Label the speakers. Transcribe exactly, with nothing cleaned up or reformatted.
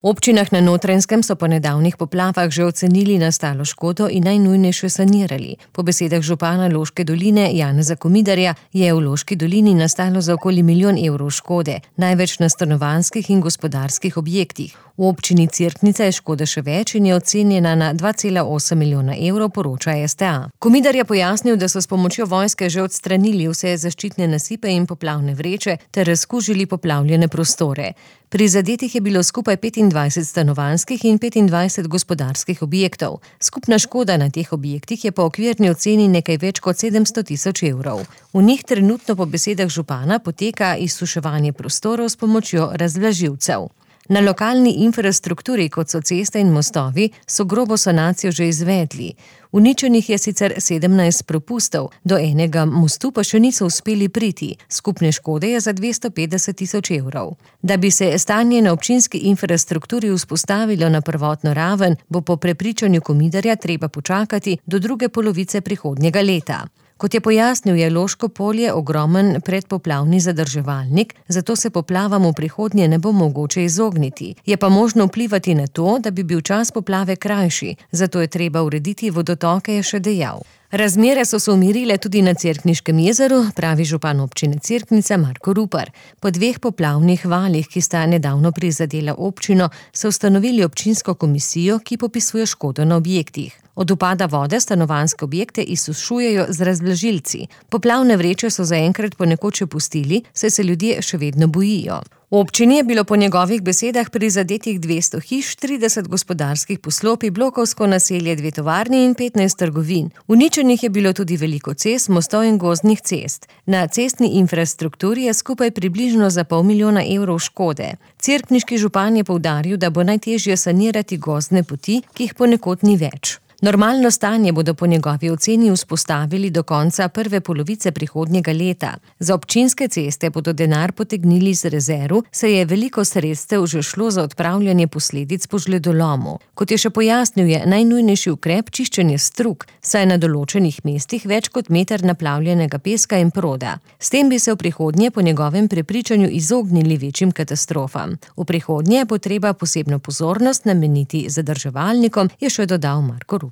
Speaker 1: občinah na Notranjskem so po nedavnih poplavah že ocenili nastalo škodo in najnujnejše sanirali. Po besedah župana Loške doline Janeza Komidarja je v Loški dolini nastalo za okoli milijon evrov škode, največ na stanovanjskih in gospodarskih objektih. V občini Cerknica je škoda še več in je ocenjena na dva cela osem milijona evrov, poroča S T A. Komidar je pojasnil, da so s pomočjo vojske že odstranili vse zaščitne nasipe in poplavne vreče ter razkužili poplavljene prostore. Prizadetih je bilo skupaj petindvajset stanovanjskih in petindvajset gospodarskih objektov. Skupna škoda na teh objektih je po okvirni oceni nekaj več kot sedemsto tisoč evrov. V njih trenutno po besedah župana poteka izsuševanje prostorov s pomočjo razvlažilcev. Na lokalni infrastrukturi, kot so ceste in mostovi, so grobo sanacijo že izvedli. Uničenih je sicer sedemnajst propustov, do enega mostu pa še niso uspeli priti. Skupne škode je za dvesto petdeset tisoč evrov. Da bi se stanje na občinski infrastrukturi vzpostavilo na prvotno raven, bo po prepričanju Komidarja treba počakati do druge polovice prihodnjega leta. Kot je pojasnil, je Loško polje ogromen predpoplavni zadrževalnik, zato se poplavam v prihodnje ne bo mogoče izogniti. Je pa možno vplivati na to, da bi bil čas poplave krajši, zato je treba urediti vodotoke, je še dejal. Razmere so se umirile tudi na Cerkniškem jezeru, pravi župan občine Cerknica Marko Rupar. Po dveh poplavnih valih, ki sta nedavno prizadela občino, so ustanovili občinsko komisijo, ki popisuje škodo na objektih. Od upada vode stanovanjske objekte izsušujejo z razvlažilci. Poplavne vreče so zaenkrat ponekod še pustili, saj se ljudje še vedno bojijo. V občini je bilo po njegovih besedah prizadetih dvesto hiš, trideset gospodarskih poslopij, blokovsko naselje, dve tovarni in petnajst trgovin. Uničenih je bilo tudi veliko cest, mostov in gozdnih cest. Na cestni infrastrukturi je skupaj približno za pol milijona evrov škode. Cerkniški župan je poudaril, da bo najtežje sanirati gozdne poti, ki jih ponekod ni več. Normalno stanje bodo po njegovi oceni vzpostavili do konca prve polovice prihodnjega leta. Za občinske ceste bodo denar potegnili z rezerv, saj je veliko sredstev že šlo za odpravljanje posledic po žledolomu. Kot je še pojasnil, je najnujnejši ukrep čiščenje strug, saj je na določenih mestih več kot meter naplavljenega peska in proda. S tem bi se v prihodnje po njegovem prepričanju izognili večjim katastrofam. V prihodnje bo treba posebno pozornost nameniti zadrževalnikom, je še dodal Marko Rupar.